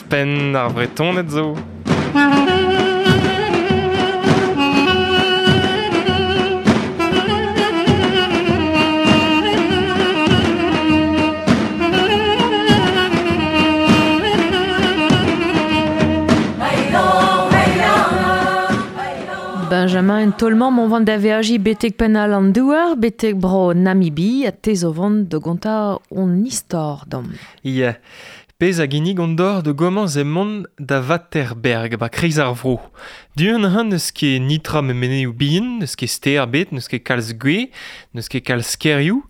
Ouzhpenn ar Vretoned zo. Benjamin, en taol-mañ m'on vont da veajiñ betek penn all an douar, betek bro Namibi, ha te zo vont da gontañ hon istor deomp. Ya, pezh a ginnig hon dor da gomañs emaon da Waterberg, ba kreiz ar vro. Du-hont n'eus ket nitra me meneioù bihan, n'eus ket stêr ebet, n'eus ket kalz gwez, n'eus ket kalz kêrioù,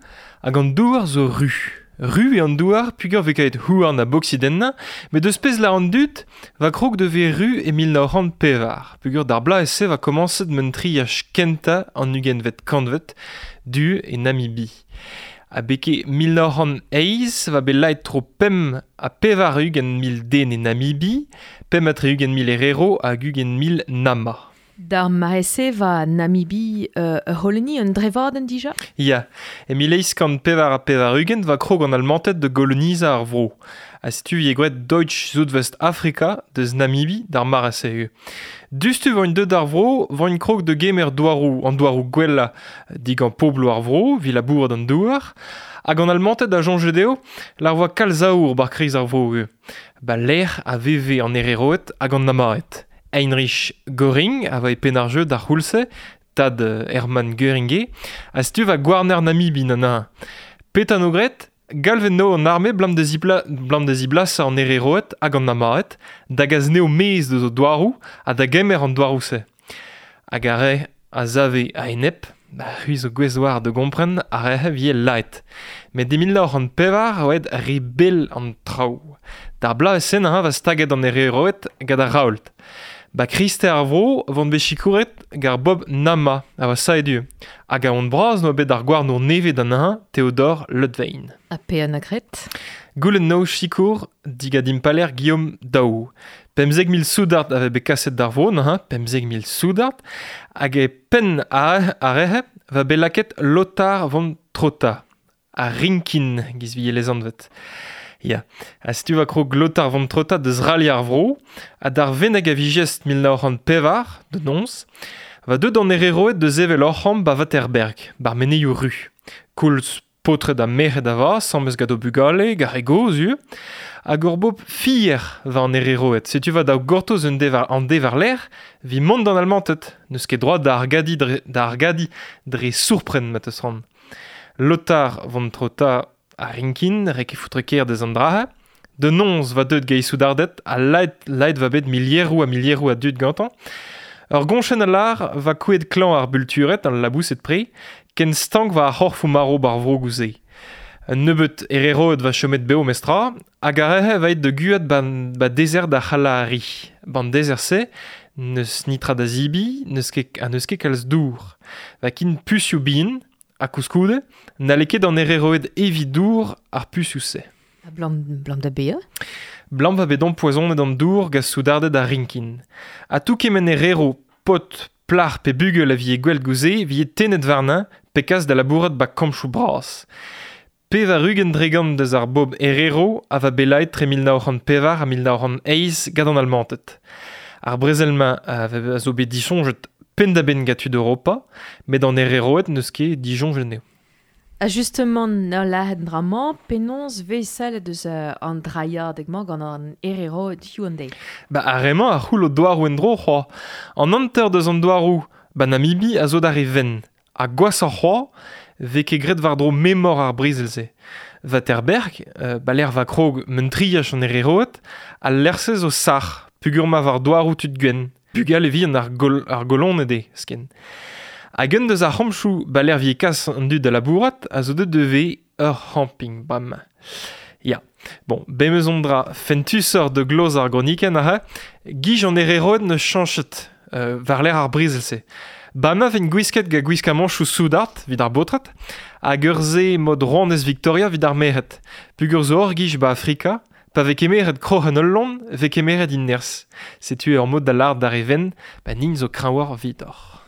hag an douar zo ru. Ru eo an douar peogwir vez kavet houarn ha boksit ennañ, met eus pezh lâr an dud va krog da vezañ ru e 1904, peogwir d'ar bloaz-se va komañset mentriaj kentañ an ugentvet kantved du e Namibi. Ha beke 1908 va bet laet tro 85 mil den e Namibi, 65 mil Herero hag 20 mil Nama. D'ar mare-se va Namibi ur c'holoni un drevadenn dija? Ya, e 1884 va krog an Almanted da golonizañ ar vro. Ha setu e gwraet Deutsch Südwestafrika deus Namibi d'ar mare-se eo. Dustu voint deut d'ar vro, voint krog da gemer douaroù, an douaroù gwellañ digant pobloù ar vro, evit labourat an douar, hag an Almanted a soñje dezho lar voa kalz aour bar kreiz ar vro eo. Ba lec'h a veve an Hereroed hag an Namaed. Heinrich Göring a voe penn ar jeu d'ar c'houlz-se, tad Hermann Göring eo, ha setu va gouarner Namibi nana. Petra no graet? Galvet no an arme blam da zibla, blam da ziblasañ an Hereroed hag an Namaed, da gas neo maez deus o douaroù ha da gemer an douaroù-se. Hag ar re a save a-enep, ba c'hwi zo gouest war da gompren ar re vie laet. Met e 1904 oa aet re bell an traoù. D'ar bloaz-se neuze va staget an Hereroed gant ar Raoult. Ba kreisteiz ar vro vont bet sikouret gant Bob Nama a oa saet Hag a hon bras noa bet ar gouarnour nevez d'an hañ, Theodor Leutwein. Ha pe an a graet? Goulenn no sikour digant impaler Guillaume Daou. 15 000 soudard avait bet kaset d'ar vro neuze, 15 000 soudard, hag e penn ar rehe va bet lakaet Lothar von Trotha, ar Rinkin giz vie lezanvet. Ya, ha setu va krog Lothar von Trotha deus rali ar vro, ha d'ar venneg a vijest 1904, de nonz, va deut an Hereroed deus evel ur c'hamp ba Waterberg, bar meneioù ru. Koulz paotred ha merc'hed a va, sammes gant o bugale, gar e goz eo, hag ur bob fier va an Hereroed. Setu va da gortoz un devar, an devar lec'h, vi mont d'an Almanted, n'eus ket droad da argadi dre, da argadi dre sourpren ma teus ran. Lothar von Trotha a Rinkin, rek e foutre ker deus an drahe. De nonz va deut gei soudardet, ha laet, laet va bet milieroù ha milieroù a dud gantañ. Ur goñchenn a lar va kouet klañv ar bultured, an labouset pre, ken stank va ar c'horfoù maro bar vro gouze. Un nebeut Hereroed va chomet beo mestra, hag ar rehe va et da guat ban, ba dezert da C'halahari. Ban dezert-se, n'eus nitra da zibi, n'eus ket, ha n'eus ket kalz dour. Va kin pusioù bihan, ha koulskoude, n'halle ket an Hereroed eviñ dour ar pusioù-se. Ha blam, blam da bezañ? Blam va bet empoisonet an dour gant soudarded ar Rinkin. Ha tout kement Herero, pot, plac'h pe bugel a vie gwell gouze, vie tennet warnañ pe kas da labourat ba kampchoù bras. 80% deus ar bob Herero a va bet laet tre 1904 ha 1908 gant an Almanted. Ar brezel-mañ a a zo bet disoñjet penn-da-benn gant tud Europa, met an Hereroed n'eus ket disoñjet anezho. Ha justement, ur lâret dra-mañ, penaos vez sellet deus an drailhadeg-mañ gant an Hereroed hiziv an deiz? Ba ar re-mañ a c'houl o douaroù en-dro c'hoazh. An hanter deus an douaroù ba Namibi a zo d'ar re wenn. Ha gwashoc'h c'hoazh, vez ket graet war-dro memor ar brezel-se. Waterberg, ba lec'h va krog mentriaj an Hereroed, al lec'h-se zo sac'h, peogwir ma war douaroù tud gwenn. Bugale vihan ar, gol, ar goloned eo, sken. Hag un deus ar c'hampchoù ba lec'h vie kas an dud da labourat a zo deut devez ur c'hamping bremañ. Ya, bon, bem eus on dra fentusoc'h de gloz ar gronikenn aze, gij an Hereroed neus chañchet war lec'h ar brezel-se. Ba ma vent gwisket gant gwiskamanchoù soudard evit ar baotred, hag ur se mod rouanez Victoria evit ar merc'hed. Peogwir zo ur gij ba Afrika, pa vez kemeret kroc'hen ul loen, vez kemeret he nerzh. Setu ur mod da lâret d'ar re wenn, ba nin zo kreñvoc'h evidoc'h.